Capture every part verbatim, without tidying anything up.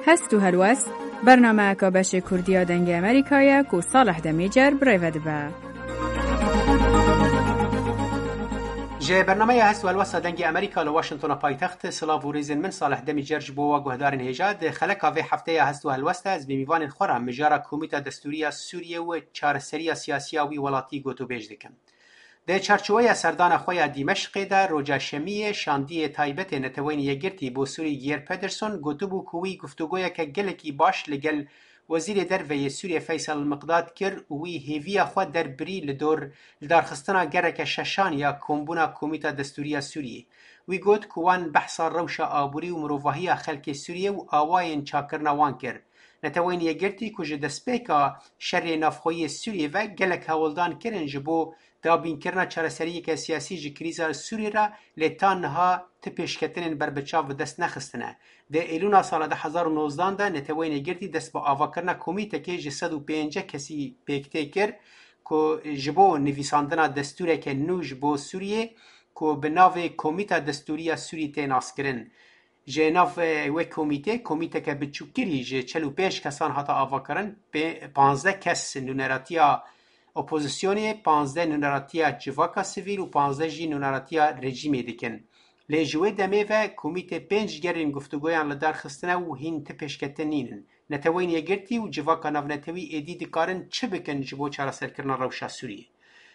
Hest û helwest, bernameyeka beşê Kurdî ya Dengê Amerîka ye ku Salih Demîcer bi rê ve dibe. Ji bernameya Hest û Helwesta Dengê Amerîka li Washingtona paytext, silav û rêzên min Salih Demîcer ji bo we guhdarên hêja. Di xeleka vê hefteya Hest û Helwesta ez bi mîvanên xwe re mijara Komîta Destûrî ya Sûriyê û çareseriya siyasî ya wî welatî gotûbêj dikim. Di çarçoweya serdana xwe ya Dîmeşqê de roja Şemiyê şandiyê taybetê Neteweyên Yekgirtî bo Sûrî Geir Pedersen gotibû ku wî guftûgoyeke gelekî baş li gel Wezîrê Derve yê Sûriyê Feysel Miqdad kir û wî hêviya xwe derbirî li dor lidarxistina gereke şeşan ya kombûna Komîta Destûrî ya Sûriyê. Wî got ku wan behsa rewşa aborî û mirovahiya xelkê Sûriyê û awayên çakirina wan kir. Neteweyên Yekgirtî ku ji destpêka şerê navxweyî yê Sûriyê ve gelek hewldan kirin ji bo dabînkirina çareseriyeke siyasî ji krîza Sûriyê re, lê ta niha ti pêşketinên berbiçav bi dest nexistine. Di Êlûna sala du hezar û nozdan de Neteweyên Yekgirtî dest bi avakirina komîtekê ji sed û pêncî kesî pêk tê kir ku ji bo nivîsandina destûreke nû ji bo Sûriyê ku bi navê Komîta Destûrî ya Sûrî tê naskirin. Ji nav, e, wê komîtê, komîteke biçûktirî ji çel û pênc kesan hate avakirin, pê-, panzdeh kes nûneratiya opozisyonê, panzdeh nûneratiya civaka sivîl û panzdeh jî nûneratiya rejîmê dikin. Lê ji wê demê ve komîtê pênc gerên guftûgoyan li dar xistine û hîn ti pêşketin nînin. Neteweyên Yekgirtî û civaka navnetewî êdî dikarin çi bikin ji bo çareserkirina rewşa Sûriyê?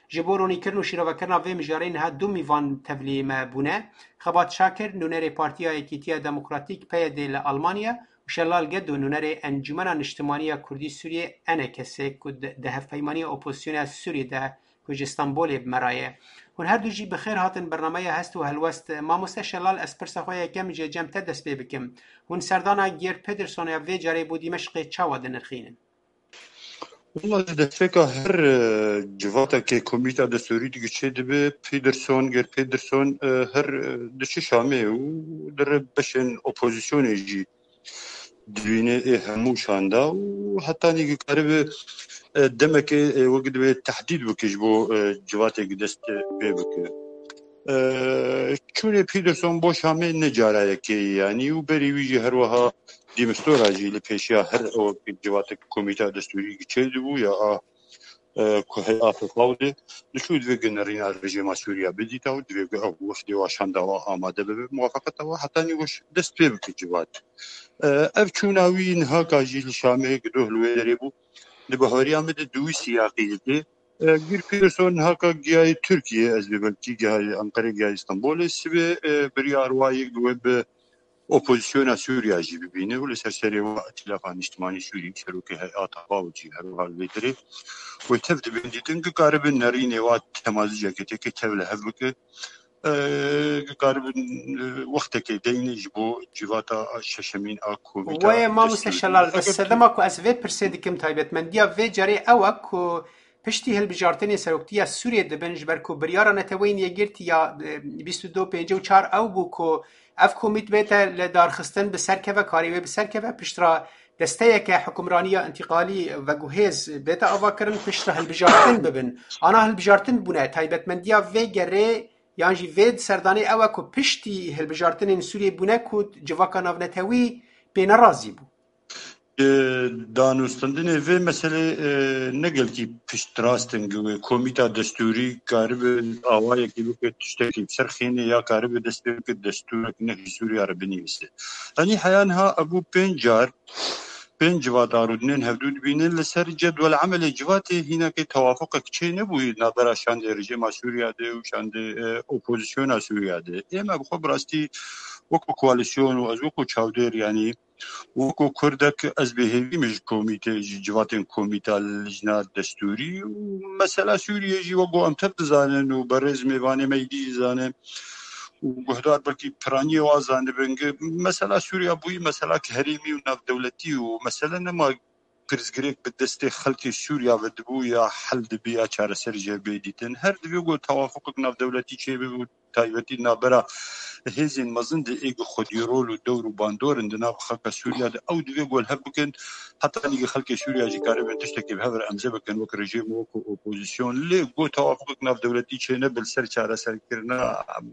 Ji bo ronîkirin û şîrovekirina vê mijarê niha du mîvan tevlî me bûne. Xebat Şakir, nûnerê Partiya Yekîtiya Demokratîk, P Y D, li Almanya û Şelal Gedo, nûnerê Encûmena Niştimanî ya Kurdî Sûriyê, E N K S, ku di, di hevpeymaniya opozisyonê ya Sûriyê de ku ji Stenbolê bi me re ye. Hûn her du jî bi xêr hatin bernameya Hest û Helwest. Mamoste Şelal, ez pirsa xwe yekem ji cem te dest pê bikim. Hûn serdana Geir Pedersen ya vê carê bo Dîmeşqê çawa dinirxînin? Wela ji destpêka her, e, civatekê komîta destûrî digiçê dibe, Pedersen, Geir Pedersen, e, her, e, diçe Şamê û dire beşên opozisyonê jî dibîne ê hemû şanda û hetanî ki karibe, e, demekê, e, wek dibe tehdîd bike ji bo, e, civatê ki dest pê bike. E, çûnê Pedersen bo Şamê ne cara yekê ye, yanî û berî wî jî her wiha Dîmistora jî li pêşiya her ew civatek komîta destûrî giçê dibû ya a, e, ku heyata xwe de diçû divê ku nerîna rejîma Sûriya bidîta û divê ku ew wefdê wa şanda wa amade bibe, muwafaqeta wa hetanî weş dest pê bike civat. E, ev çûna wî niha ka jî li Şamê gidoh li wê derê bû. Di bahweriya min de di wî siyaqî de, e, Geir Pedersen niha ka gihayê Tirkiyê, ez bê belkî gihayê Enqerê, gihayê Stenbolê, sibê, e, biryar wa yek bi we bi opozisyona Sûriya jî bibîne û li ser serê wa Îtîlafa Niştimanî Sûrî, serokê heyata wa û jî her wiha li vê derê wê tev dibên dîtin, ki karibe nerînê wa temaziceke têkê tev li hev bike, e, ki karibin, e, wextekê deyne ji bo civata şeşemîn a komîta Wê mamoste destûrî. Şelal, ez Fakat sedema ku ez vê pirsê dikim taybetmendiya vê carê ew e ku piştî hilbijartinê seroktiya Sûriyê dibin, ji ber ku biryara Neteweyên Yekgirtî ya, e, bîst û du pêncî û çar ew bû ku ev komît bête li darxistin bi ser keve, karê wê bi ser keve, piştre desteyeke hukimraniya întîqalî veguhêz bête avakirin, piştre hilbijartin bibin. Ana hilbijartin bûne, taybetmendiya vê gerê yan jî vê serdanê ew e ku piştî hilbijartinên Sûriyê bûne ku civaka navnetewî pê nerazî bû. Ji danûstandinê vê meselê, e, ne gelkî piştrast in, ku wê komîta destûrî karibe awayekî bike, tiştekî bi ser xînê ya karibe dest pê bike, destûrek nehî Sûriya re binivîse. Yanî heya niha ebû pênc car, pênc civata rûdinên hevdû dibînin, li ser cedwel emelê civatê hînekê tewafuqek çê nebûyî navbera şandê rejîma Sûriya de û şandê, e, opozisyona Sûriya de. Ême bi xwe bi rastî wekû koalîsyon û ez wekû çavdêr, yanî wekû Kurdek ez bêhêvî me ji komîte, ji civatên komîta lijna destûrî û mesela Sûriyê jî wekû em tev dizanin û berêz mêvanê me êdî jî zane û guhdar belkî piraniyê wa zanibin ki mesela Sûriya bûyî meselak herêmî û navdewletî û mesele nema pirsgirêk bi destê xelkê Sûriya ve dibû ya hel dibî ya çareser jê bê dîtin. Her divê ku tewafuqek navdewletî çêbibe û taybetî di navbera hêzên mezin de ê ku xwedî rol û dewr û bandor in di nav xelka Sûriya de, ew divê ku li hev bikin, heta nîgê xelkê Sûriya jî karibin tiştekê bi hev re emze bikin, wek rejîm, wek opozîsyon. Lê ku tewafuk navdewletî çênebe li ser çareserkirina, em,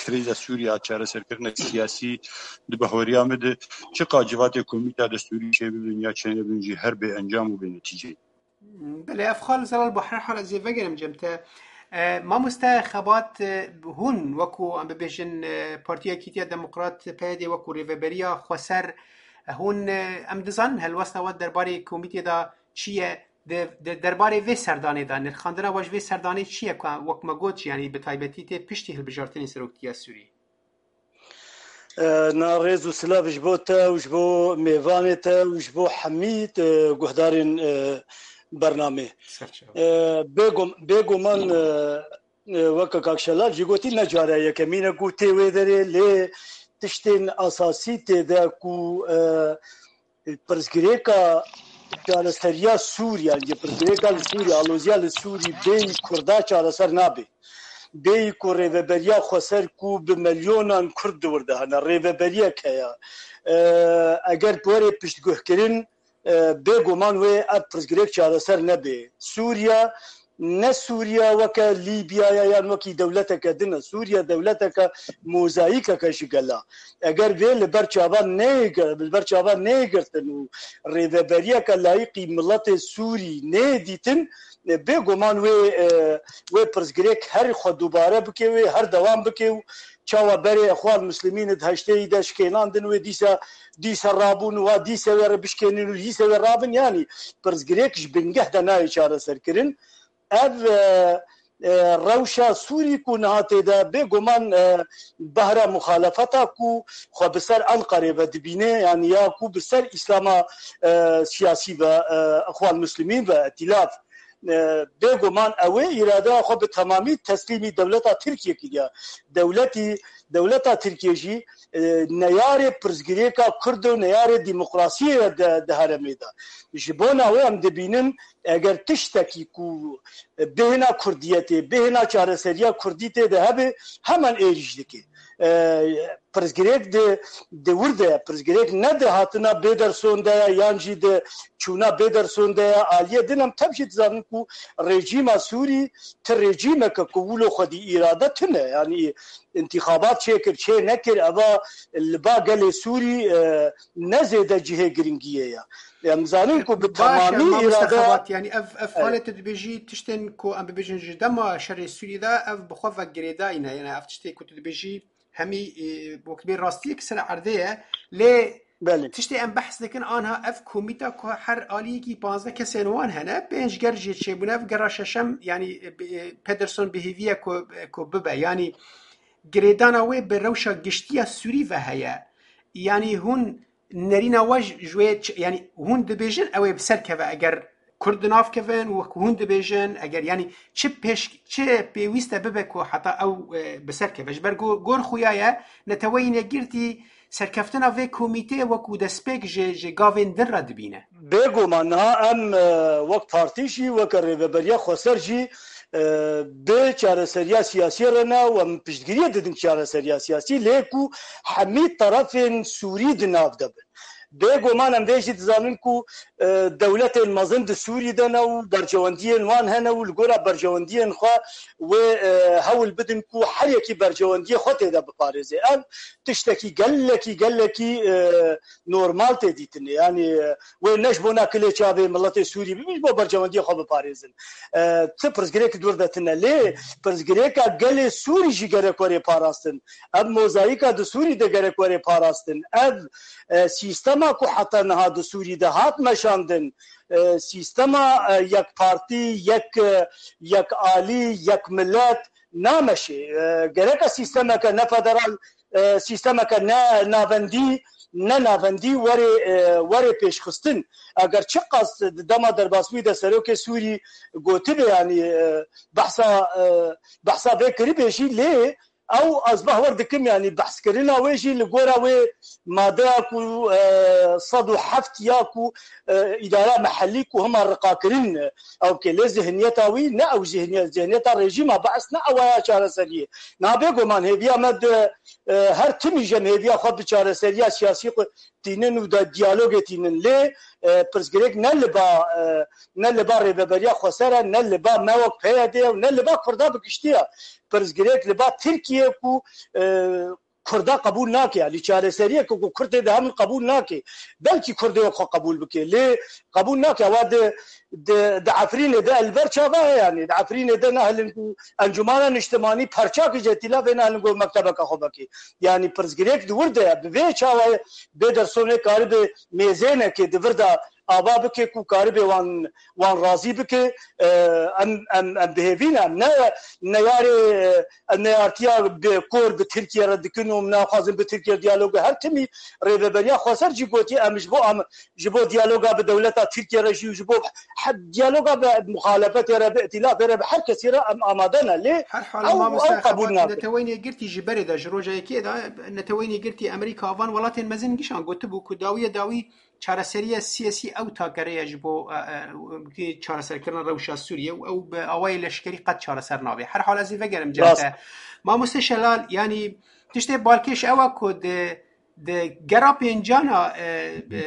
krîza Sûriya, çareserkirina siyasî di bahweriya min de çiqa civatê komîta destûrî çêbibin ya çênebin jî her bê encam û bê netîceyî. Belê, ev xal Zelal, bo her hal ez ê vegerim cem te. E, mamoste Xebat, e, hûn wekû, em bibêjin, e, Partiya Yekîtiya Demokrat, P Y D, wekû rêveberiya xweser, e, hûn, e, em dizanin helwesta we derbarê komîtê de çi ye? Di, di derbarê vê serdanê de, nirxandina we ji vê serdanê çi ye? Ku wek me got jî, yanî bi taybetî tê piştî hilbijartinê seroktiya Sûrî. E, na rêz û silav ji bo te û ji bo mêvanê te û ji bo hemî, e, guhdarên, e, bernamê. Serçe. E, bêgum-, bêguman, e, e, weke Kak Şelal jî gotî, ne cara yekemîn e ku tê wê derê, lê tiştên esasî tê de ku, e, pirsgirêka çareseriya Sûrî, yan jî pirsgirêka li Sûrî, aloziya li Sûrî bêyî Kurda çareser nabe. Bêyî ku rêveberiya xweser ku bi milyonan Kurd di wir de hene, rêveberiyek heye. E, eger were piştguhkirin, e, bêguman wê ev pirsgirêk çareser nebe. Sûriye ne Sûriye weke Lîbyaya yan wekî dewleteke din e. Sûriye dewleteke mozayîkeke ji gela. Eger vê li ber çavan neyê gir-, li ber çavan neyê girtin û rêveberiyeke layîqî miletê Sûrî neyê dîtin, e, bêguman wê, e, wê pirsgirêk her xwe dubare bike, wê her dewam bike û çawa berê Exwan Muslimîn di heştê yî de şikênandin, wê dîsa, dîsa rabûn û wa dîsa wê re bişkênin û dîsa wê rabin, yanî pirsgirêk ji bingeh de nayê çareserkirin. Ev, e, e, rewşa Sûrî ku niha tê de, bêguman, e, behra muxalefeta ku xwe bi ser Enqerê ve dibîne, yanî ya ku bi ser Îslama, e, siyasî ve, e, Exwan Muslimîn ve, Îtîlaf, e, bêguman ew ê îradeya xwe bi temamî teslîmî dewleta Tirkiyê kiriya. Dewletî, dewleta Tirkiyê jî, e, neyarê pirsgirêka Kurd û neyarê demokrasiyê ye di, di herêmê de. Ji bona wê em dibînin, eger tiştekî ku bêhna Kurdiyetê, bêhna çareseriya Kurdî tê de hebe, hemen êrîş dike. E, pirsgirêk di, di wir de ye. Pirsgirêk ne di hatina Bêderson de ye, yan jî di çûna Bêderson de ye. Aliyê din em tev jî dizanin ku rejîma Sûrî ti rejîmeke ku wilo xwedî îrade tune. Yanî întîxabat çêkir, çê nekir, eva li ba gelê Sûrî, e, ne zêde cihê giringiyê ye. Em zanin ku bi Baş e, temamî mamoste îrade Xebat, yanî ev, ev Evet. xalê tu dibêjî tiştên ku em bibêjin ji dema şerê Sûrî de ev bi xwe ve girêdayî ne. Yanî ev tiştê ku tu dibêjî hemî, e, wek bê rastiyek ser erdê ye. Lê Belê. tiştê em behs dikin anha ev komîta ku her aliyekî panzdeh kesên wan hene, pênc ger jê çêbûne, ev gera şeşem, yanî, e, bi-, e, Pederson bi hêvî ye ku, e, ku bibe. Yanî girêdana wê bi rewşa giştiya Sûrî ve heye. Yanî hûn nerîna we ji, ji wê çi, yanî hûn dibêjin ew ê bi ser keve eger Kurd di nav kevin û wek hûn dibêjin, eger yanî çi pêş, çi pêwîst e bibe ku heta ew, e, bi ser keve? Ji ber go-, gor xuya ye, Neteweyên Yekgirtî serkeftina vê komîteyê wekû destpêk ji, ji gavên din re dibîne. Bêguman niha em, e, wek partî jî, weke rêveberiya xweser jî, e, bi çareseriya siyasî re ne û em piştgiriyê didin çareseriya siyasî, lê ku hemî terefên Sûrî di nav de bin. Bêguman em vê jî dizanin ku, e, dewletên mezin di Sûrî de ne û berjewendiyên wan hene û li gora berjewendiyên xwe wê, e, hewl bidin ku her yekî berjewendiyê xwe tê de biparêze. Ev tiştekî gelekî, gelekî, e, normal tê dîtinê. Yanî, e, wê ne ji bona kilê çavê miletê Sûrî bibin, ji bo berjewendiyê xwe biparêzin. E, ti pirsgirêk dûr de tine. Lê pirsgirêka gelê Sûrî jî gerek were parastin. Ev mozayîka di Sûrî de gerek were parastin. Ev, e, sîstema ku heta niha di Sûrî de hat meşandin, e, sîstema, e, yek partî, yek, e, yek alî, yek milet nameşe. E, gereke sîstemeke ne federal, e, sîstemeke ne navendî, ne navendî were, e, were pêşxistin. Eger çiqas di dema derbasbûyî de serokê Sûrî gotibe, yanî, e, behsa, e, behsa vê kiribê jî, lê Ew ez bawer dikim, yanî behskirina wê jî li gora wê madeya ku, e, sed û heft ya ku, e, îdara mehellî ku hema riqakirin, e, ew ke lê zihniyeta wî ne ew zihniyet, zihniyeta rejîma Bees ne ew ya çareseriyê. Na bêguman hêviya me di, e, her timî jî em hêviya xwe bi çareseriya siyasî xwe tînin û de diyalogê tînin. Lê, e, pirsgirêk ne li ba, e, ne li ba Rêveberiya Xweser e, ne li ba me wek P Y D û ne li ba Kurda bi giştî ye. Pirsgirêk li ba Tirkiye ku, e, Kurda qebûl nake, yanî çareseriyeke ku Kurd tê de hebin qebûl nake. Belkî Kurdê wek xwe qebûl bike, lê qebûl nake. Ewa di, di, di Efrînê de el ber çava ye, yanî di Efrînê de nahilin ku Encûmana Niştimanî perçakî ji îtîlafê nahilin ku mektebeke xwe veke. Yanî pirsgirêk di wir de ye. Bi vê çawa ye, Pedersonê karibe mêzênekê di vir de ava bike ku karibe wan, wan razî bike. E, em, em, em bi hêvî ne, em ne, neyarê, e, em neyartiya bi kor bi Tirkiye re dikin û em naxwazin bi Tirkiye diyalogu her timî. Rêveberiya Xweser jî gotiye, em ji bo, em ji bo diyaloga bi dewleta Tirkiye re jî û ji bo he-, diyaloga bi muxalefetê re, bi îtîlafê re, bi her kesî re em amade ne. Lê Her hal ew, mamoste ew qebûl Xebat, nake. Neteweyên Yekgirtî ji berê de, ji roja yekê de, Neteweyên Yekgirtî Amerîka van welatên mezin gişan gotibû ku dawiye dawî çareseriya siyasî ew takere ye ji bo, e, e, çareserkirina rewşa Sûriyê û ew bi awayê leşkerî qet çareser nabe. Her hal ez ê vegerim cem Rast. te. Mamoste Şelal, yanî tiştê balkêş ew e ku di, di gera pêncana, e, e,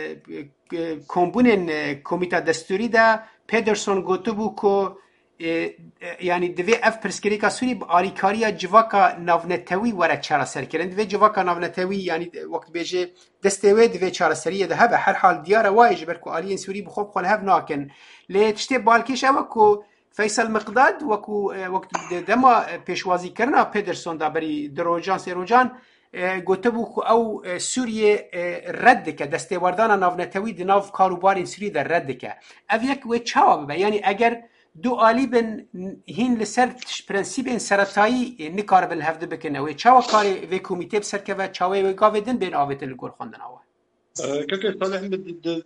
e, kombûnên, e, Komîta Destûrî de Pederson gotibû ku, e, e, yanî divê ev pirsgirêka Sûrî bi alîkariya civaka navnetewî were çareserkirin. Divê civaka navnetewî, yanî wek dibêje, destê wê divê çareseriyê de hebe. Her hal diyar e wayê, ji ber ku aliyên Sûrî bi xwe bi xwe li hev nakin. Lê tiştê balkêş ew e ku Feysel Miqdad wekû, e, wek di dema, e, pêşwazîkirina Pederson de berî du rojan, sê rojan, e, gotibû ku ew, e, Sûriyê, e, red dike, destêwerdana navnetewî di nav kar û barên Sûriyê de red dike. Ev yek wê çawa bibe? Yanî eger du alî bin, hîn li ser tiş-, prensîbên seretayî, e, nikaribin li hev du bikin, ew ê çawa karê vê komîtê bi ser keve, çawa wê gavê din bên avêtin li gor xwendina we? E, Keke Salih, min di, di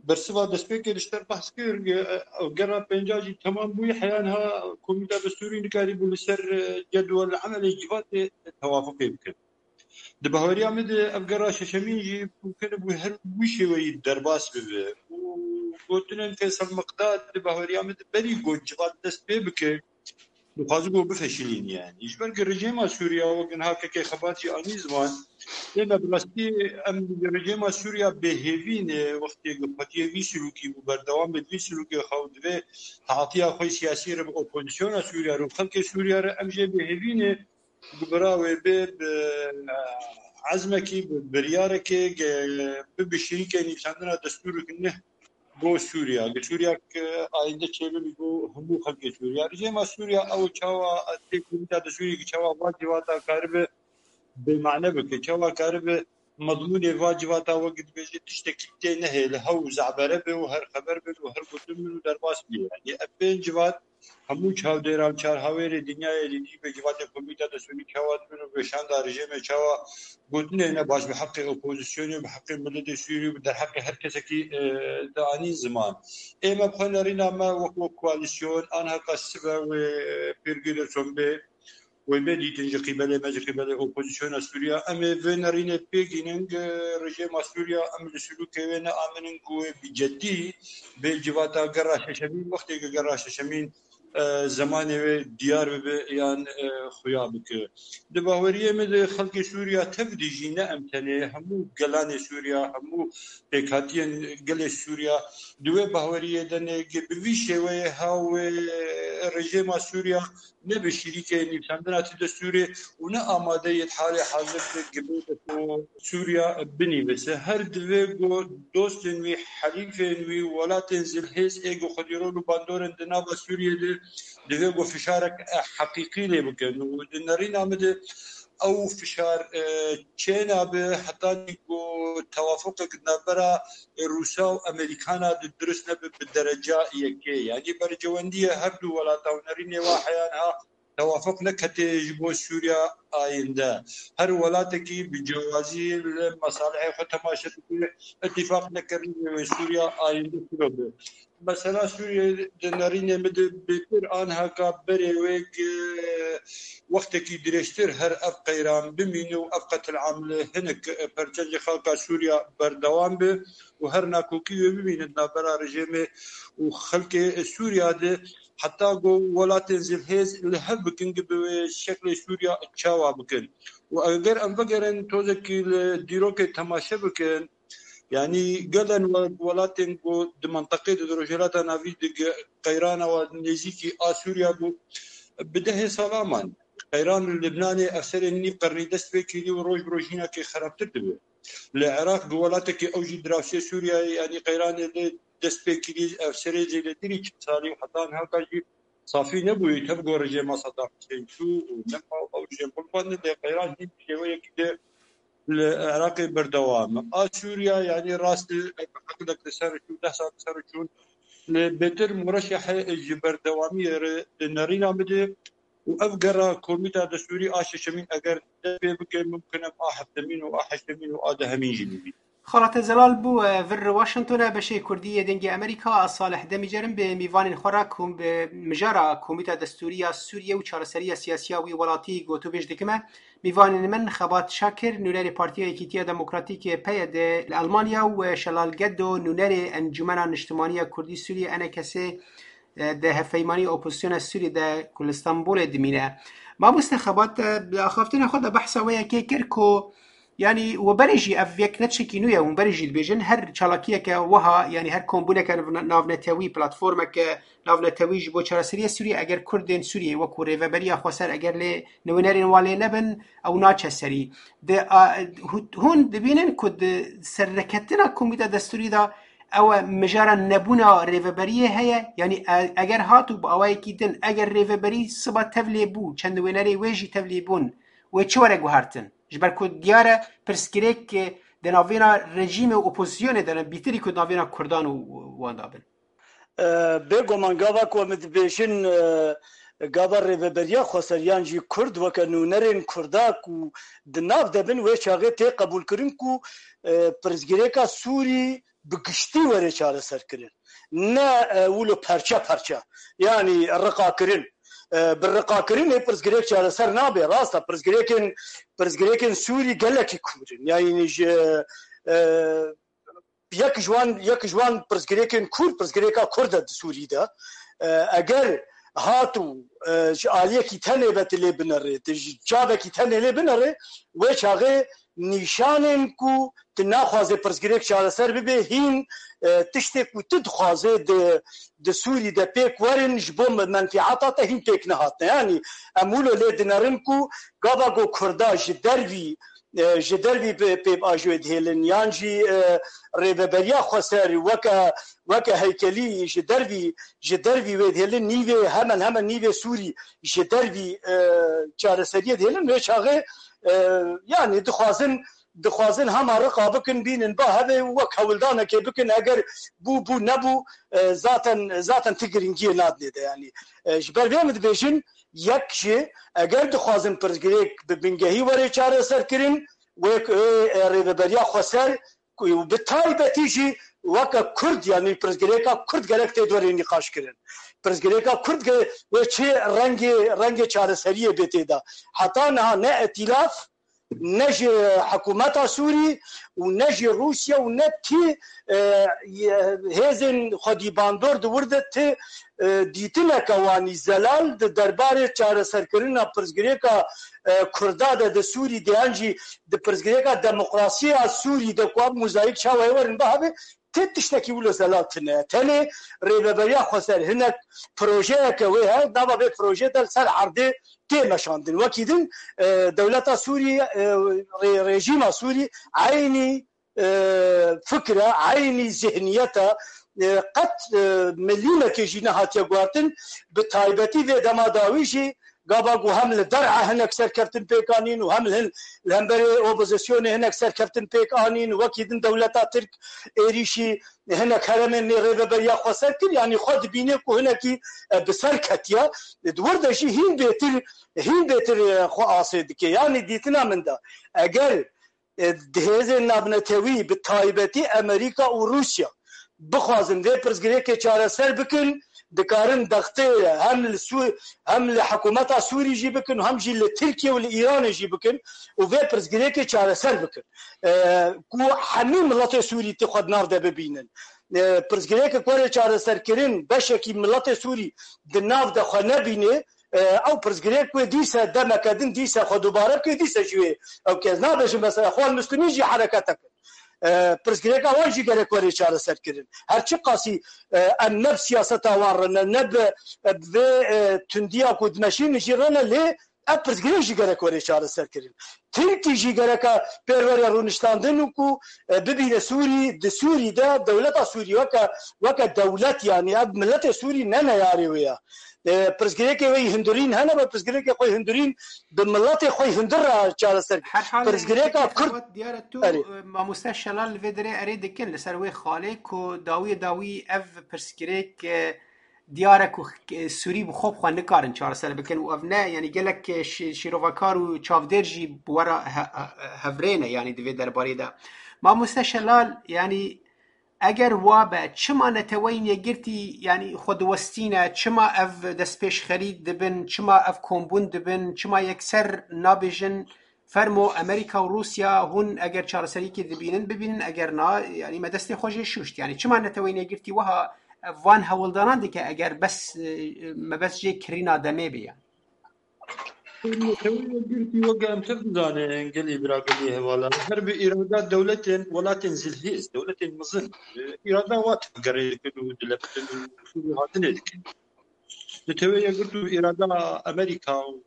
bersiva destpêkê li ser behs kir, e, ew gera pênca jî temam bûyî, heya niha Komîta Destûrî nikarîbû li ser, e, cedwel emelê civatê tewafuqê bikin. Di bahweriya min de ev gera şeşemîn jî mumkin bû her wî şêweyî derbas bibe. Û gotinên Feysel Miqdad di bahweriya min de berî got civat dest pê bike, dixwaze ku bifeşilîne yanî. Ji ber ku rejîma Sûriya wek niha Keke Xebat jî anî ziman, lê me bi rastî em rejîma Sûriya bêhêvî ne, wextê ku xwediyê vî silûkî bû, berdewamê vî silûkê xwe û divê taatiya xwe siyasî re bi opozisyona Sûriya re û xelkê Sûriya re em jê bêhêvî ne. Ku bira wê bê bi, e, ezmekî, bi biryarekê, ge-, bi, bi şirîkê nivîsandina destûrek neh bo Sûriya. Li Sûriya ke ayînde çêbibî bo hemû xelkê Sûriya. Rejîma Sûriya ew çawa tê komîta destûrî ki çawa va civata karibe bêmane bike, çawa karibe mezmûnê va civata wek dibêje tiştekî tê nehêle, hew zebere be û her xeber be û her gotin bin û derbas bê. Yanî ev pênc civat hemû çavdêra û çarhawêrê dinyayê li dî be civatê komîta destûrî çawa dibin û weşanda rejîmê çawa gotinê ne baş bi heqê opozisyonê, bi heqê miletê Sûrî û bi derheqê her kesekî, e, dianîn ziman. Ê me bi xwe nerîna me wek, wek koalîsyon, anha qas sibe wê pêrgî de çon bê, wê bê dîtin ji qîbelê me, ji qîbelê opozisyona Sûriya. Em ê vê nerînê pêk înin, e, rejîma Sûriya, em li silûkê wê neaminin ku wê bi ceddî bê civata gera şeşemîn, wextê ku gera şeşemîn, e, zemanê wê diyar bibe yan, e, xuya bike. Di baweriyê min de xelkê Sûriya tev dijî, ne em tenê, hemû gelanê Sûriya, hemû pêkhatiyên gelê Sûriya di wê baweriyê de ne, bi vî şêweyê ha wê rejîma Sûriya ne bi şirîkê nivîsandina ti destûrê û ne amade yê di halê hazir de gibê de ku Sûriya binivîse. Her divê ku dostên wî, helîfên wî, welatên zilhêz ê ku xwedî rol û bandorên di nava Sûriyê de divê ku fişarek, e, heqîqî lê bikin û di nerîna min de ew fişar, e, çênabe hetanî ku tewafuqek di navbera Rûsa û Amerîkana de dirust nebe bi dereca yekê. Yanî bercewendiyê her du welata û nerînê wa heya niha tewafuk nekete ji bo Sûriya ayinde. Her welatekî bi cewazî li mesalihê xwe temaşe dike, îtîfaq nekirin wê Sûriya ayinde çilo be. Mesela Sûriyê di nerînê min de bêtir anheka berê wê gi-, wextekî dirêjtir her ev qeyran bimîne û ev qetilam li hinek perçên ji xelka Sûriya berdewam be û her nakokî wê bimîne di navbera rejîmê û xelkê Sûriya de, heta ku welatên zilhêz li hev bikin gi bi wê şeklê Sûriya çawa bikin. Û eger em vegerin tozekî li dîrokê temaşe bikin, yanî gelen we-, welatên ku di mintaqê de di Rojhilata Navî de ge-, qeyrana we nêzîkî a Sûriya bû, bi dehê sala man. Qeyran li Libnanê ev serê nîv qernî dest pê kirî û roj bi roj hînakê xerabtir dibe. Li Iraq bi welatekî ew jî dirawşê Sûriyeyê, yanî qeyranê lê dest pê kirî, ev serê zêdetirî çil salî û heta niha jî safî nebûyî, tev ku rejîma Saddam Hussein çû û nema ew jê qulpandin, lê qeyran hîn şêweyekî de li Iraqê berdewam e. A Sûriya, yanî rast e, eqilek li ser çû, deh sal li ser çûn, lê bêtir mûreşehe ji berdewamiyê re di nerîna min de û ev gera komîta destûrî a şeşemîn eger dest pê bike, mimkin e a heftemîn û a heştemîn û a dehemîn jî bibî. Xalate Zelal bû, e, vir Washington e, beşê Kurdî yê Dengê Amerîka, a Salih Demîcerim bi mîvanên xwe re kom-, bi mijara Komîta Destûrî ya Sûriyê û çareseriya siyasiya wî welatî gotûbêj dikime. Mîvanên min Xebat Şakir, nûnerê Partiya Yekîtiya Demokratîk, P Y D, li Almanya û Şelal Gedo, nûnerê Encûmena Niştimanî ya Kurdî Sûriyê, E N K S, e, di hevpeymanî opozisyona Sûriyê de ku li Stenbolê dimîne. Mamoste Xebat, e, di axaftina xwe de behsa wê yekê kir ku, yanî we berê jî ev yek ne tiştekî nû ye, hûn berê jî dibêjin, her çalakiyeke wiha, yanî her kombûneke nav-, navnetewî, platformeke navnetewî ji bo çareseriya Sûriyê, eger Kurdên Sûriyê wekû rêveberiya xweser, eger lê nûnerên wan lê nebin, ew naçe serî. Di, a, hû-, hûn dibînin ku di serneketina Komîta Destûrî de ew e mijara nebûna rêveberiyê heye? Yanî e-, eger hat û bi awayekî din, eger rêveberî siba tevlê bû, çend nûnerê wê jî tevlê bûn, wê çi were guhertin? Ji ber ku diyar e pirsgirêk, e, di navêna rejîmê û opozisyonê de ne, bîtirî ku di navêna Kurdan û wan de bin. E, bêguman gava ku em dibêjin, e, gava rêveberiya xweser yan jî Kurd weke nûnerên Kurda ku di nav de bin, wê çaxê tê qebûlkirin ku, e, pirsgirêka Sûrî bi giştî were çareserkirin. Ne, e, wilo perçe perçe. Yanî riqakirin. E, bi riqakirinê pirsgirêk çareser nabe. Rast e, pirsgirêkên, pirsgirêkên Sûrî gelekî kûr in. Yanî ji, e, yek ji wan, yek ji wan pirsgirêkên kûr, pirsgirêka Kurd e di Sûrî de. E, eger hat û, e, ji aliyekî tenê ve tu lê binerê, tu ji çavekî tenê lê binerê, wê çaxê nîşanên ku tu naxwazê pirsgirêk çareser bibe, hîn, e, tiştê ku tu dixwazê di, di Sûrî de pêk werin, ji bo me-, menfîata te hîn pêk nehatine. Yanî em wilo lê dinerin ku gava ku Kurda ji dervî e, ji dervî bi pêvajoyê dihêlin, yan jî, e, rêveberiya xweser weke, weke heykelî ji dervî, ji dervî wê dihêlin, nîvê, hemen hemen nîvê Sûrî ji dervî, e, çareseriyê dihêlin, wê çaxê, e, yanî dixwazin, dixwazin hema riqa bikin, bînin ba hevê û wek hewldanekê bikin, eger bû, bû, nebû, e, zaten, zaten ti giringiyê nadinê de, yanî, e, ji ber vê min dibêjin, yek jî, eger dixwazin pirsgirêk bi bingehî were çareserkirin, wê ku, e, rêveberiya xweser ku, û bi taybetî jî weke Kurd, yanî pirsgirêka Kurd gerek tê dorê nîqaş kirin. Pirsgirêka Kurd ge-, wê çi rengê, rengê çareseriyê bê tê de. Heta niha ne îtîlaf, ne ji hikûmeta Sûrî û ne jî Rûsya û ne tî, e, ye-, hêzên xwedî bandor di wir de ti, e, dîtineke wanî zelal di derbarê çareserkirina pirsgirêka, e, Kurda de di Sûrî de yan jî di pirsgirêka demokrasiya Sûrî de ku ev mozayîk çawa yê werin bihavê, ti tiştekî wilo zelal tine. Tenê rêveberiya xweser hinek projeyeke wê heye, nava vê projeyê de li ser erdê tê meşandin. Wekî din, e, dewleta Sûrî, e, rê-, rejîma Sûrî eynî, e, fikre, eynî zihniyete, e, qet, e, milîmekê jî nehatiye guhertin. Bi taybetî vê dema dawî jî Gava ku hem li Der'a hinek serkeftin pêk anîn û hem li hin-, li hemberê opozisyonê hinek serkeftin pêk anîn, wekî din dewleta Tirk êrîşî hinek heremên nê rêveberiya xweser kir, yanî xwe dibîne ku hinekî, e, bi ser ketiye. Di wir de jî hîn bêtir, hîn bêtir, e, xwe asê dike. Yanî dîtina min de, eger, e, di hêzên navnetewî, bi taybetî Amerîka û Rûsya, bixwazin vê pirsgirêkê çareser bikin, dikarin dextê hem li Sû-, hem li hikûmeta Sûrî jî bikin, hem jî li Tirkiye û li Îranê jî bikin û vê pirsgirêkê çareser bikin. E, ku hemî miletê Sûrî ti xwe di nav de bibînin. E, pirsgirêkê ku were çareserkirin, beşekî miletê Sûrî di nav de xwe nebîne, e, ew pirsgirêk wê dîse demeke din dîse xwe dubare bike, dîse jî wê ew kes nabêjin mesela Xwan Muslimî jî herekete kir. E, pirsgirêka wan jî gerek were çareserkirin. Her çi qasî, e, em ne bi siyaseta wan re ne, ne bi, e, bi vê, e, tundiya ku dimeşînin jî re ne, lê ev pirsgirêk jî gerek were çareserkirin. Tirkî jî gereka pêr were rûniştandin û ku, e, bibîne Sûrî, di Sûrî de dewleta Sûrî weke, weke dewlet, yanî ev miletê Sûrî ne neyarê wê ye. E, pirsgirêkê wê yî hundirîn hene, be pirsgirêkê xwe hundirîn bi miletê xwe hundir re çareser. Her halê Pirsgirêka Kurd Xewat diyar e tu, Erê. e, mamoste Şelal li vê derê erê dikin li ser wê xalê ku dawiyê dawî ev pirsgirêk, e, diyar e ku, e, Sûrî bi xwe bi xwe nikarin çareser bikin û ev ne, yanî gelek, e, şî-, şîrovekar û çavdêr jî bi we re he-, he-, hevrê ne, yanî di vê derbarê de. Mamoste Şelal, yanî eger wa be, çima Neteweyên Yekgirtî, yanî xwe diwestîne, çima ev destpêşxerî dibin, çima ev kombûn dibin, çima yekser nabêjin, fermo Amerîka û Rûsya hûn eger çareseriyekê dibînin, bibînin, eger na, yanî me destê xwe jê şûşt. Yanî çima Neteweyên Yekgirtî wiha van hewldanan dike eger bes, e, mebest jê kirîna demê bê, yanî? Neteweyên Yekgirtî weke em tev dizanin, gelî bira, gelî hevala. Her bi îrada dewletên, welatên zilhêz, dewletên mezin, e, îrada wa tevgerê dikin û dilebitin û sûrû hatinê dikin. Neteweyên Yekgirtî û îrada Amerîka û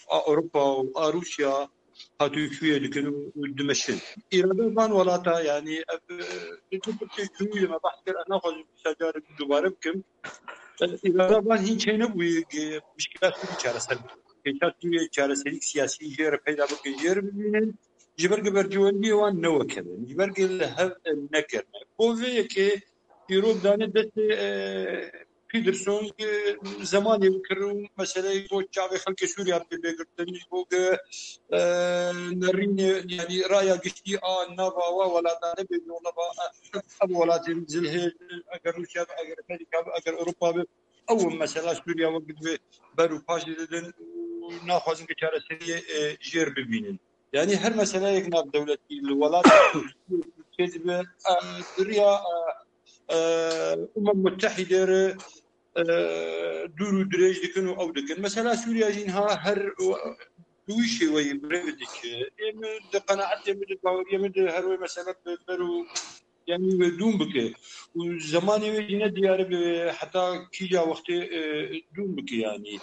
a Ewropa û a Rûsya hatûçûyê dikin û, û dimeşin. Îrada van welata, yanî ev, e, li tu pirtê cûyê me behs kir, ez naxwazim vîsa carê dubare bikim. Îrada van hîn çênebûyî, e, mişkila Sûrî çareser bikin. Kêşa Sûriyê çareserîk siyasî jê re peyda bikin, jê re bibînin. Ji ber ku berjewendiyê wan ne wek hev in. Ji ber ku li hev nekirine. Bo vê yekê îro dane destê, e, Peterson, e, zemanê bikir û meseleyê bo çavê xelkê Sûriya bê girtin. Ji bo ku, e, nerînê, yanî raya giştî a nava wa welata nebe, nava, e, ev welatên zilhê, eger Rûsya be, eger Amerîka be, eger Ewropa be, ew mesela Sûriya wek divê ber û paşê didin û naxwazin ku çareseriyê, e, jêr bibînin. Yanî her meseleyek navdewletî li welat çêdibe, e, di riya, e, e, Umem Mutehîdê re, e, dûr û dirêj dikin û ew dikin. Mesela Sûriya jî niha her bi wî şêweyî bi rê ve dike. Ê min di qenaetê min, di baweriyê min de her wê mesele bi ber û, yanî wê dûm bike. Û zemanê wê jî ne diyar e bi heta kîja wextê, e, dûm bike yanî.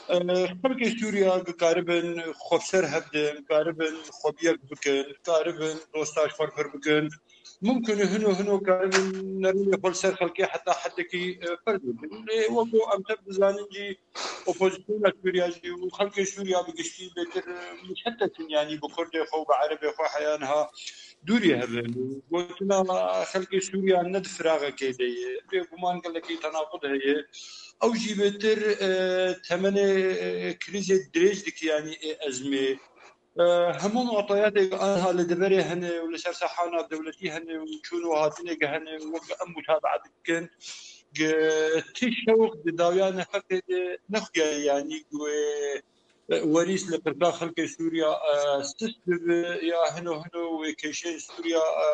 E, xelkê Sûriya dikaribin xwe bi ser hev din, karibin xwe bi yek bikin, karibin dosta ji xwe re pir bikin. Mumkin e hino hino karibin nerînê xwe li ser xelkê heta hedekî, e, ferz bikin. Lê wek ku em tev dizanin jî, opozisyona Sûriya jî û xelkê Sûriya bi giştî bêtir, e, muşetet in, yanî bi Kurdê xwe û bi Erebê xwe heya niha dûrî hev in. Gotina xelkê Sûriya ne di firaxekê de ye. Bêguman gelekî tenaqud heye. Ew jî bêtir, e, temenê, e, krîzê dirêj dike, yanî ê ezmê. E, hemû mu'teyatê ku aniha li deverê hene û li ser saha navdewletî hene û çûn û hatinê ku hene û wek em mutabaet dikin, ku ti şewq di dawiya nefeqê de nexuyaye, yanî ku wê, e, werîs li qirka xelkê Sûriya, e, sist bibe ya hino hino wê kêşeyên Sûriya, e,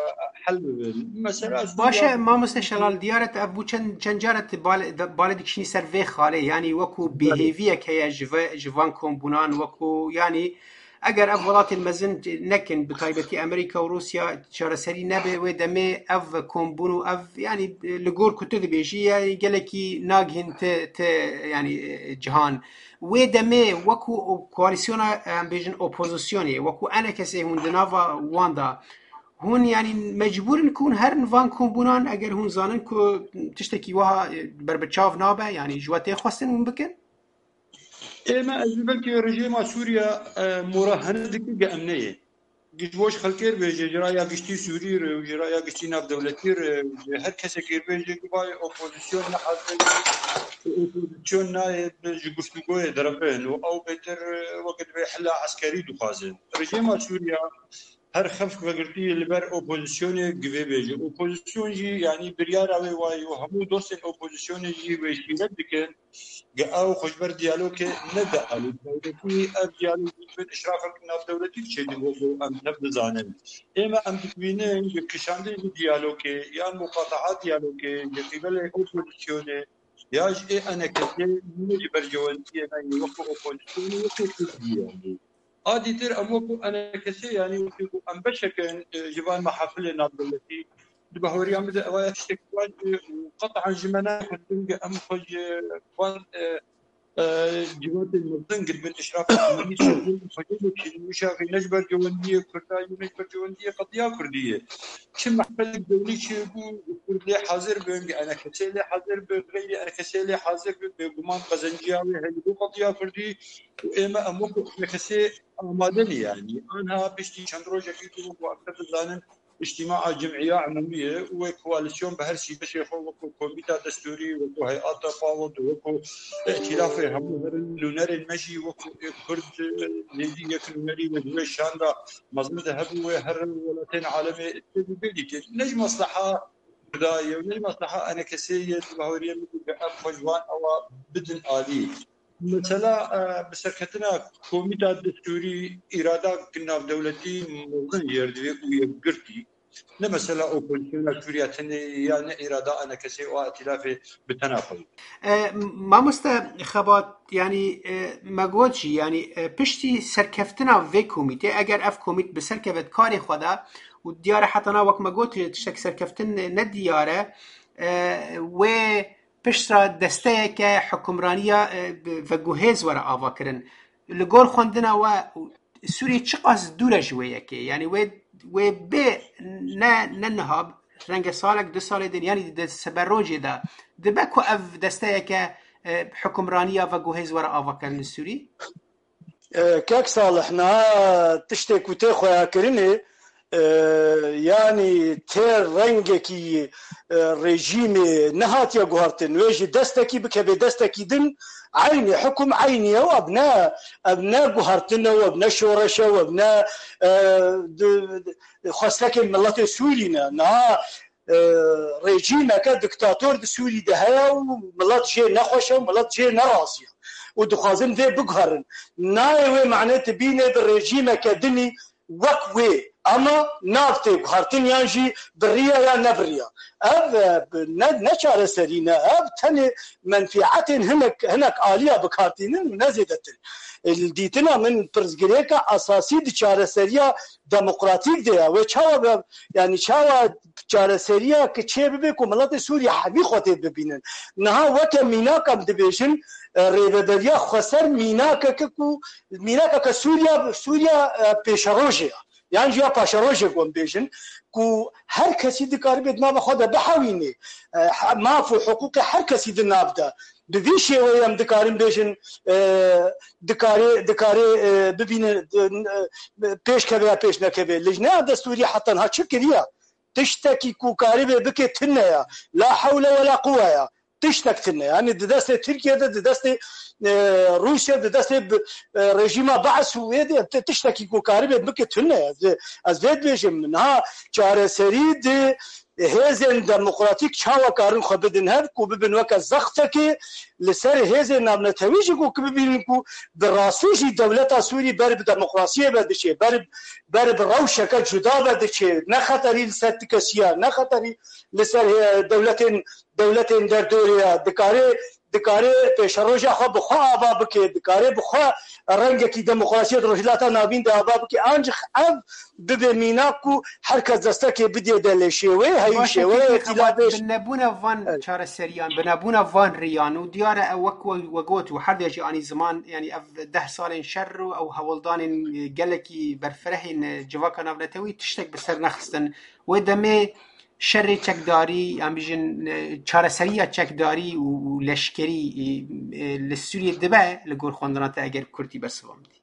hel bibin. Mesela Baş e, Sûriya mamoste Şelal, diyar e tu ev bû çend, çend car e tu bale, de, bale dikişînî ser vê xalê, yanî wekû Belê. bêhêviyek heye ji ve, ji van kombûnan, wekû, yanî eger ev welatên mezin nekin, bi taybetî Amerîka û Rûsya çareserî nebe, wê demê ev kombûn û ev, yanî, li gor ku tu dibêjî, yanî gelekî nagihîn ti, ti, yanî, cihan. Wê demê wekû o-, koalîsyona, em bêjin, opozisyonê, wekû enekesê hûn di nava wan de, hûn, yanî, mecbûr in ku hûn herin van kombûnan, eger hûn zanin ku tiştekî wiha, e, berbiçav nabe, yanî ji we tê xwestin hûn bikin? Ê me ez belkî rejîma Sûriya, e, mora hene dike ge em neyê. Ji bo ji xelkê re bêje, ji raya giştî Sûrî re û ji raya giştî navdewletî re, ji her kesekê re bêje, guvayê opozîsyon nehazir, opozîsyon nayê bi ji guftûgoyê derevin û ew bêtir, e, weke divê hela eskerî dixwazin. Rejîma Sûriya her xeft vegirtî li ber opozîsyonê givê bêje. Opozîsyon jî, yanî biryara wê wayî û hemû dostên opozîsyonê jî wê şîret dikin. Ge ew xwe ji ber diyalogê nede alî. Dewletî ev diyalog bi işrafek navdewletî çêdibe ku em tev dizanin. Ême em dibînin ji kişandin ji diyalogê yan muqataha diyalogê ji qîbelê opozîsyonê ya ji ê enekesê ne ji berjewendiyê me yê wekî opozîsyonê wekî Kurdiyê. A dîtir em wekî enekesê, yanî wekî ku em beşek in, e, ji van mehafilê navdewletî, di bahweriya min de ev ya tiştek baş e, û qet'an ji me nayê xwestin ge em xwe ji van, e, e, civatên mezin giribin, işrafên ewlî çêbûn, xwedê bikişînin, wî şaxê ne ji ber cewendiyê Kurda ye, ne ji ber cewendiyê qediya Kurdî ye. Çi mehfelek dewlî çêbû, Kurd lê hazir bin, enekesê lê hazir bin, xeyrî enekesê lê hazir bin, bêguman qezenciya wê heye bo qediya Kurdî û ême em wekî enekesê amade ne yanî. Anha piştî çend rojekî ku wekî em dizanin, îctîmaa cimîya umûmî ye û wê koalîsyon bi her sî beşê xwe wekî komîta destûrî, wekî heyata PAWOD, wekî îtîlafê hemû herin nûnerên me jî wekî ê Kurd, e, nêzî yek nûnerî wê di wê şanda mezin de hebû, wê her welatên alemê tê bibê dîtin. Ne ji mesleha Kurda ye û ne ji mesleha enekesê ye, di bahweriya min de em xwe ji wan ewa bidin alî. Mesela, e, bi serketina komîta destûrî îrada navdewletî mezin jê re divê û yekgirtî. Ne mesela opozîsyona Sûriya tenê ya ne îrada enekesê û a îtîlafê bi tena xwe. E, mamoste Xebat, yanî, e, me got jî, yanî, e, piştî serkeftina vê komîtê, eger ev komît bi serkeve di karê xwe de û diyar e heta na wek me got, tiştek serkeftin ne diyar e, e, wê piştre desteyeke hukimraniya, e, bi, veguhêz were avakirin. Li gor xwendina we, Sûriyê çiqas dûr e ji wê yekê? Yanî wê, wê bê ne, ne niha, renge salek, du salê din, yanî di siberojê de dibe ku ev desteyeke, e, hukimraniya veguhêz were avakirin li Sûrî? E, kek Salih, niha tiştê ku tê xuyakirinê, e, yanî tê rengekî, e, rejîmê nehatiye guhertin. Wê ji destekî bikeve destekî din, eynî hukum eynî ye, ev ne, ev ne guhertin e, ev ne şoreş e, ev ne, e, di, xwestekên miletê Sûrî ne. Niha, e, rejîmeke diktator di Sûrî de heye û milet jê nexweş e û milet jê nerazî ye. Û dixwazin vê biguherin. Nayê wê mane tu bîne bi rejîmeke dinî wek wê, ama nav tê guhertin yan jî biriya ya nebiriya. Ev, e, ne, ne çareserî ne, ev tenê menfîetên hinek, hinek aliya bikartînin û ne zêdetir. E, li dîtina min pirsgirêka esasî di çareseriya demokratîk de ye. Wê çawa be, yanî çawa çareseriya ki çê bibe ku miletê Sûrî hevî xwe tê bibînin. Niha weke mînak em dibêjin, e, rêveberiya xweser mînakeke ku mînakeke Sûriya, Sûriya, e, pêşerojê ye. Yan jî ya paşerojê ku em bêjin, ku her kesî dikaribê di nava xwe de bihewînê, e, he-, maf û hiqûqê her kesî di nav de. Bi vî şêweyê em dikarin bêjin, e, dikarê, dikarê, e, bibîne, e, pêş keve ya pêş nekeve. Lijneya destûrî heta niha çi kiriye? Tiştekî ku karibê bike tune ya. La hewle we la quwe ya. Tiştek tune. Yanî di destê Tirkiye de, di destê, e, Rûsya, di destê bi, e, rejîma Be'es û wê de ti-, tiştekî ku karibê bike tune. Ez, ez vê dibêjim. Niha çareserî di hêzên demokratîk çawa karin xwe bidin hev ku bibin weke zextekê li ser hêzên navnetewî jî ku, ku bibînin ku bi rastî jî dewleta Sûrî ber bi demokrasiyê ve diçe, ber, ber bi rewşeke cuda ve diçe, ne xeterî li ser ti kesiya, ne xeterî li ser, e, dewletên, dewletên derdorê ya. Dikare, dikare pêşeroja xwe bi xwe ava bike, dikare bi xwe rengekî demokrasiyê di Rojhilata Navîn de ava bike. Ancîx ev bibe mînak ku her kes destekê bidê de lê şêweyê heyî. Baş e, şêweyê kekê Xebat, îtîlafê bi nebûna van Evet. çareseriyan, bi nebûna van riyan û diyar e ew wek we, we got û her de jî anî ziman, yanî ev deh salên şer û ew hewldanên, e, gelekî berfirehên, e, civaka navnetewî tiştek bi ser nexistin. Wê demê Şerê çekdarî, em bijin, e, çareseriya çekdarî û, û leşkerî, e, e, li Sûriyê dibe li gor xwendina te eger kurtî bersiva min dî?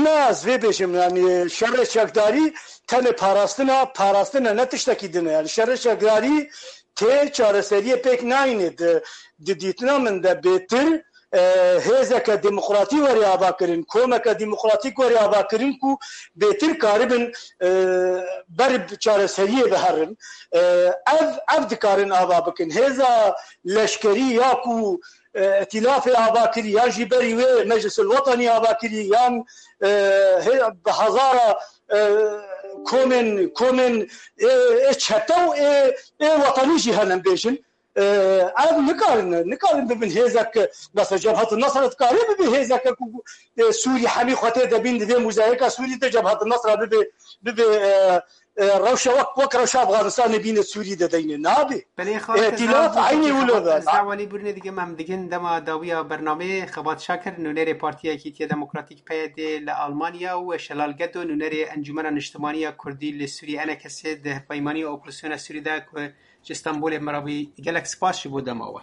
Na, ez vê bêjim, yanî şerê çekdarî tenê parastina, parastina ne tiştekî din e. Yanî şerê çekdarî tê çareseriyê pêk nayînê di, di dîtina min de bêtir, e, hêzeke demokratî were avakirin, komeke demokratîk were avakirin ku bêtir karibin, e, ber bi çareseriyê biherin. E, ev, ev dikarin ava bikin. Hêza leşkerî ya ku, e, îtîlafê ava kirî, yan jî berî wê Meclisil Wetanî ava kirî, yan, e, hê-, bi hezara, e, komên, komên ê, ê çete û ê, ê wetanî jî henin bêjin. E, ev nikarin, nikarin bibin hêzek, mesela Cebhet Nasra dikare bibe hêzeke ku, e, Sûrî hemî xwe tê de bîn, divê muzayeka Sûrî de Cebhet Nasra bibe, bibe, e, e, rewşa wek, wek rewşa Afganistanê bîne Sûrî de deyne. Nabe. Belê, xalî, Îtîlaf eynî wilo be. Ez dawalî burine digim, em digin dema dawiya bernameyê. Xebat Şakir, nûnerê Partiya Yekîtiya Demokratîk, P Y D, li Almanya û Şelal Gedo, nûnerê Encûmena Niştimanî ya Kurdî li Sûriyê, E N K S, di hevpeymaniya opozisyona Sûrî de ku ji Stenbolê me re bû. Gelek spas ji bo dema we.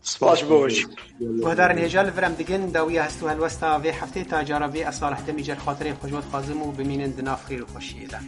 Spas ji bo we jî. Guhdarên hêja, li vir em digin dawiya hest û helwesta vê heftê. Ta cara vê, ez Salih Demîcer xatirê xwe ji we dixwazim û bimînin di nav xêr û xweşiyê de.